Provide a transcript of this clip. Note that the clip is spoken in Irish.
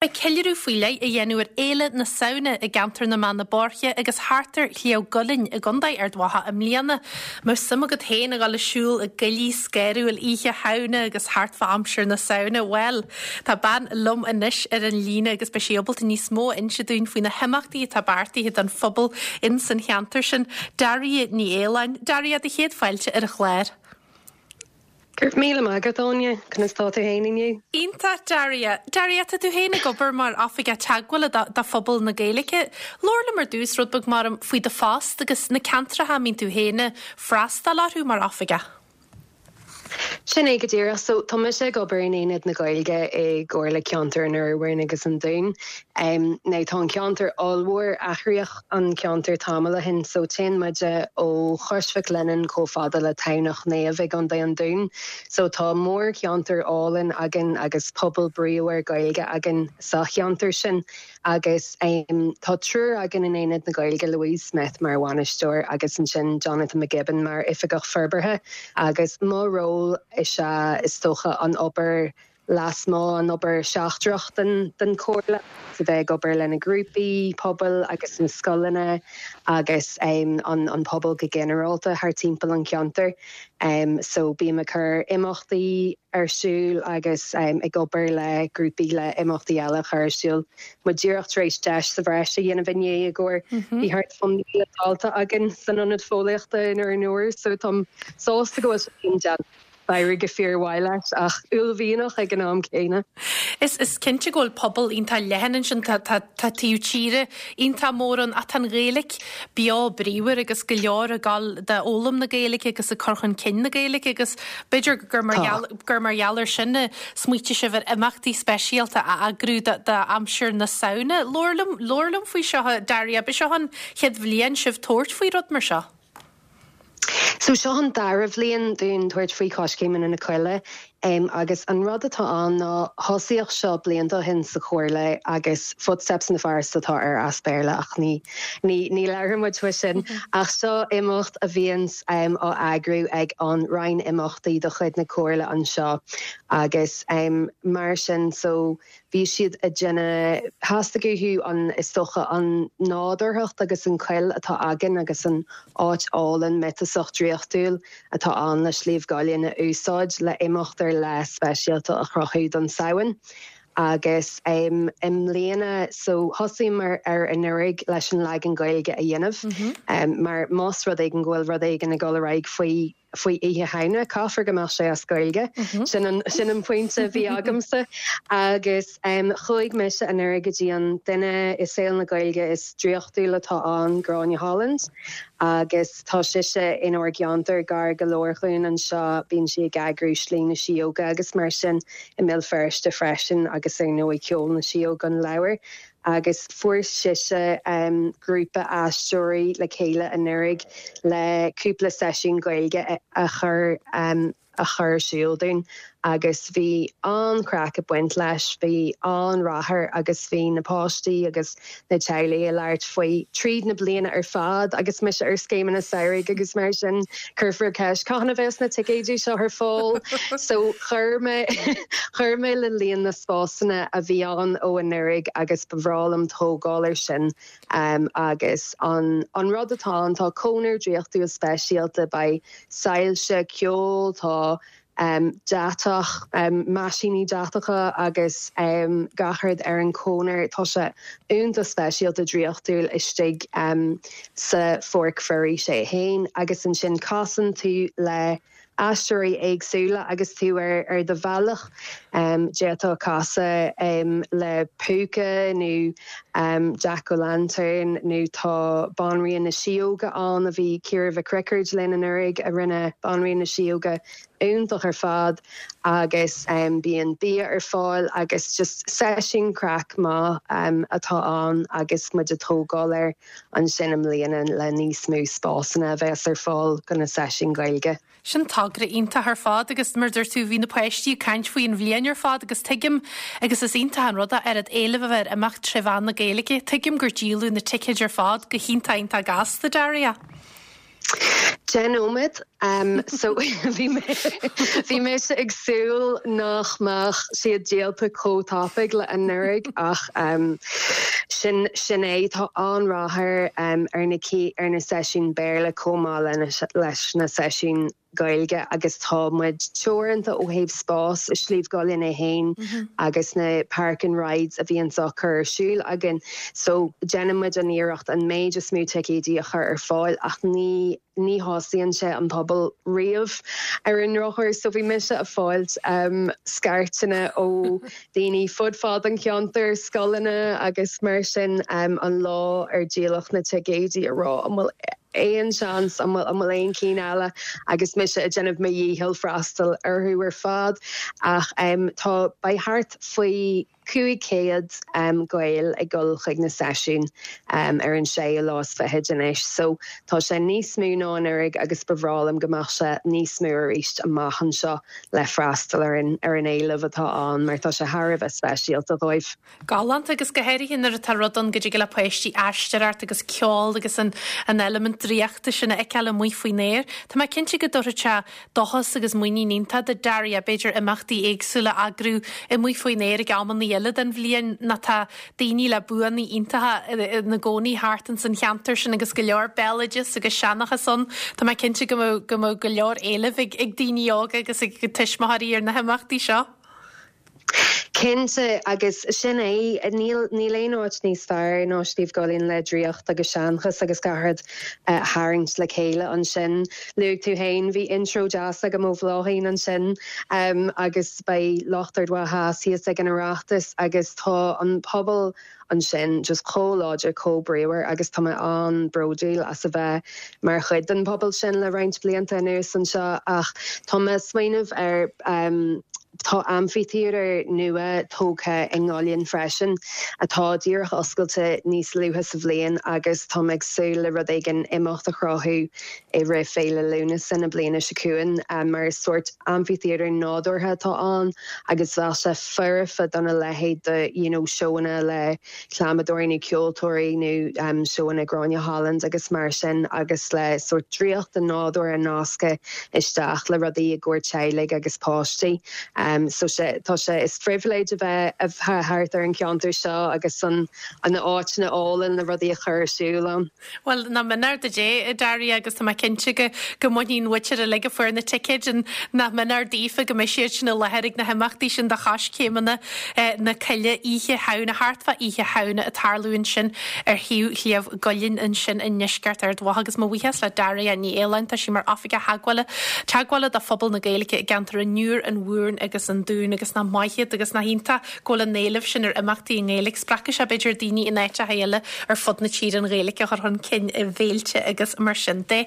Beidh ceiliúradh faoi leith á dhéanamh ar Fhéile na Samhna i gceantar na mBeanna Boirche agus thart ar Shliabh gCuillinn i gContae Ard Mhacha i mbliana. Mbeadh suim agat féin a dhul ag siúl i gcoillidh scanrúil oíche Shamhna agus thart fá aimsir na Samhna? Bhuel, tá bean liom anois ar an líne agus beidh sí ábalta níos mó a inse dúinn faoi na himeachtaí atá beartaithe don phobal ins an cheantar sin. Daria Ní Fhaoláin. Daria, do chéad fáilte ar an chlár. Go raibh míle maith agat, Áine. Conas tá tú fhéin inniu? Iontach, Daria. Daria, tá tú féin ag obair mar Oifigeach Teagmhála do phobal na Gaeilge. Labhair liom ar dtús rud beag mar faoi do phost agus na ceantracha a mbíonn tú féin ag freastal orthu mar oifigeach. Sin é go díreach. So, tá mise ag obair in Aonad na Gaeilge i gComhairle Ceantair an Urmhumhan agus an Dúin. Now, tá an ceantar ollmhór, athraíodh an ceantar tamall ó shin, so téann muide ó Chois Mhic Lionnáin chomh fada le Tamhnach Naomh i gContae an Dúin. So tá mórcheantar álainn againn agus pobal bríomhar Gaeilge againn sa cheantar sin. Agus tá triúr againn in Aonad na Gaeilge, Louise Smith mar bhainisteoir agus ansin Jonathan McGibbon mar Oifigeach Forbartha. Agus mo ról is ea, is dócha, an obair lasmuigh, an obair sheachtrach den Chomhairle, agus a bheith ag obair le na grúpaí pobail agus na scoileanna agus an pobal go ginearálta thar timpeall an cheantair. So bím ag cur imeachtaí ar siúl agus ag obair le grúpaí le imeachtaí eile a chur ar siúl. Muid díreach tar éis deis sa bhreis a dhéanamh inné i gcomhair bhí thart fá 1,000 dalta againn san ionad fóillíochta in Árainn Mhór so táim sásta go bhfuil sé sin déanta. D'éirigh go fíormhaith leis, ach uaillmhianach ag an am céanna. Is is cinnte go bhfuil pobal iontach leathan ansin, tá tá tá taobh tíre iontach mór ann ach tá an Ghaeilge beo bríomhar agus go leor ag dul d'fhoghlaim na Gaeilge agus ag cur chun cinn na Gaeilge agus b'fhéidir gur mar gheall gur mar gheall ar sin a smaoitigh sibh ar imeachtaí speisialta a eagrú do d'aimsir na Samhna. Labhair liom labhair liom faoi seo, Daria, ab é seo an chéad bhliain sibh tabhairt faoi rud mar seo? So seo an dara bhliain dúinn tabhairt faoi Choiscéimeanna na Coille agus an rud atá ann ná thosaíodh seo blianta ó shin sa Chomhairle agus Footsteps in the Forest atá air as Béarla ach ní ní ní labhrann muid faoi sin ach seo imeacht a bhíonns á eagrú ag an Roinn Imeachtaí de chuid na Comhairle anseo agus mar sin so Bhí siad ag déanamh, theastaigh uathu an, is dócha, an nádúrthacht agus an choill atá againn agus an áit álainn miotasach draíochtúil atá ann le Sliabh gCuillinn a úsáid le imeacht ar leith speisialta a chruthú don Samhain. Agus i mbliana, so thosaíomar ar anuraidh leis an leagan Gaeilge a dhéanamh mar más rud éigin go bhfuil rud éigin ag dul ar aghaidh faoi faoi Oíche Shamhna, caithfear go mbeadh sé as Gaeilge. Sin an, sin an pointe a bhí agamsa. Agus chuaigh mise anuraidh go dtí an duine i saol na Gaeilge is draíochtúla atá ann, Gráinne Holland, agus tá sise inár gceantar, gar go leor dhúinn anseo, bíonn sí ag eagrú Slí na Síóga agus mar sin i mBéal Feirste freisin agus ar ndóigh Ceol na Síóg, an leabhar. agus fuair sise grúpa aisteoirí le chéile anuraidh le cúpla seisiún Gaeilge a chur a chur ar siúl dúinn agus bhí an-chraic ag baint leis, bhí an-rath air agus bhí na páistí agus na teaghlaigh ag labhairt faoi tríd na bliana ar fad agus mise ar scéimeanna samhraidh agus mar sin cuirfear ceist cathain a bheas na ticéidí seo ar fáil? So chuir mé chuir mé le líon na spásanna a bhí ann ó anuraidh agus ba bhreá liom tógáil ar sin agus an an rud atá ann tá cónair draíochtúil speisialta, beidh soilse, ceol, tá deatach, meaisíní deatacha agus gach rud ar an chónair. Tá sé iontach speisialta draíochtúil istigh sa pháirc foraoise é féin agus ansin casann tú le aisteoirí éagsúla agus tú ar do bhealach. D'fhéadfá casadh le púca nó Jack O'Lantern nó tá Banríon na Síóga ann a bhí Ciara Mhic Riocaird linn anuraidh a rinne Banríon na Síóga iontach ar fad agus bíonn bia ar fáil agus just seisiún craic maith atá ann agus muid ag tógáil air ansin i mbliana le níos mó spásanna a bheas ar fáil do na seisiúin Ghaeilge. Sin togra iontach ar fad agus mar a dúirt tú bhí na páistí ag caint faoi an bhliain ar fad agus tuigim agus is iontach an rud é oiread éilimh a bheith ar imeacht tré mheán na Gaeilge. Tuigim gur díoladh na ticéid ar fad go hiontach iontach gasta, Daria. 10 nóiméad. So bhí mé bhí mise ag súil nach mbeadh siad díolta chomh tapaidh le anuraidh ach sin sin é. Tá an-rath ar ar na ar na seisiúin Béarla chomh maith leis na seisiúin Gaeilge agus tá muid teoranta ó thaobh spás i Sliabh gCuillinn é féin agus na park and rides a bhíonns á cur ar siúl againn. So déanann muid an iarracht an méid is mó ticéidí a chur ar fáil ach ní ní shásaíonn sé an pobal riamh ar an ndrochuair. So bhí mise ag fáilt scairteanna ó daoine fud fad an cheantair, scoileanna agus mar sin an lá ar díoladh na ticéidí a rá an bhfuil aon seans, an bhfuil, an bhfuil aon cinn eile agus mise ag déanamh mo dhícheall freastal orthu ar fad ach tá, beidh thart faoi 500 Gael ag dul chuig na seisiúin ar an séú lá is fichid anois so tá sé níos mó ná anuraidh agus ba bhreá liom go mbeadh sé níos mó arís amach anseo. le freastal ar an ar an éileamh atá ann mar tá sé thar a bheith speisialta dóibh. Galánta agus go háirithe nuair atá rud ann go dtig le páistí aisteoireacht agus ceol agus an an eilimint draíochta sin a fheiceáil amuigh faoin aer. Tá mé cinnte go dtabharfadh sé dóchas agus muinín iontach do Daria b'fhéidir imeachtaí éagsúla a eagrú amuigh faoin aer ag amanna eile den bhliain nó tá daoine le buanna iontacha ina gcónaí thart ins an cheantar sin agus go leor béaloideas agus seanchas ann. Tá mé cinnte go mbeadh go mbeadh go leor éilimh ag ag daoine óga agus ag tuismitheoirí ar na himeachtaí seo. Cinnte, agus sin é, níl níl aon áit níos fearr ná Sliabh gCuillinn le draíocht agus seanchas agus gach rud a tharraingt le chéile ansin. Luaigh tú féin, bhí intro deas agam ó Bhláithín ansin agus beidh lucht Ard Mhacha Theas thíos ag an Oireachtas agus tá an pobal ansin just chomh láidir, chomh bríomhar agus tá mé an-bhródúil as a bheith mar chuid den phobal sin le roinnt blianta anuas anseo ach tá mé ag smaoineamh ar tá amphitheatre nua tógtha i nGaillimh freisin atá díreach oscailte níos luaithe sa bhliain agus tá mé ag súil le rud éigin imeacht a chruthú i rith Féile Lúnasa na bliana seo chugainn mar is sórt amphitheatre nádúrtha atá ann agus bheadh sé foirfe dona leithéid de you know seóanna le clamadóirí nó ceoltóirí nó seóanna Gráinne Holland agus mar sin agus le sórt draíocht an nádúir a nascadh isteach le rudaí i gcomhair teaghlaigh agus páistí. So sé tá sé is phribhléid a bheith thart ar an cheantar seo agus an na áiteanna álainn le rudaí a chur ar siúl ann. Bhuel, nach mionúr do Dé, a Daria, agus tá mé cinnte go go mbainfidh an mhuintir uilig a fuair na ticéid, nach mionúr daofa go mbeidh siad sin i láthair ag na himeachtaí sin do Choiscéimeanna na Coille Oíche Shamhna, thart fá Oíche Shamhna ag tarlú ansin ar thaobh Shliabh gCuillinn ansin i ndeisceart Ard Mhacha. Agus mo bhuíochas le Daria Ní Aoláin, tá sí mar Oifigeach Theagmhála Teagmhála do phobal na Gaeilge i gceantar an Iúir, an Mhúrn agus an Dúin agus nach maith iad agus nach iontach go bhfuil an éileamh sin ar imeachtaí i nGaeilge. Spreagfaidh sé, b'fhéidir, daoine in áiteacha eile ar fud na tíre an Ghaeilge a chur chun cinn i bhféilte agus mar sin de.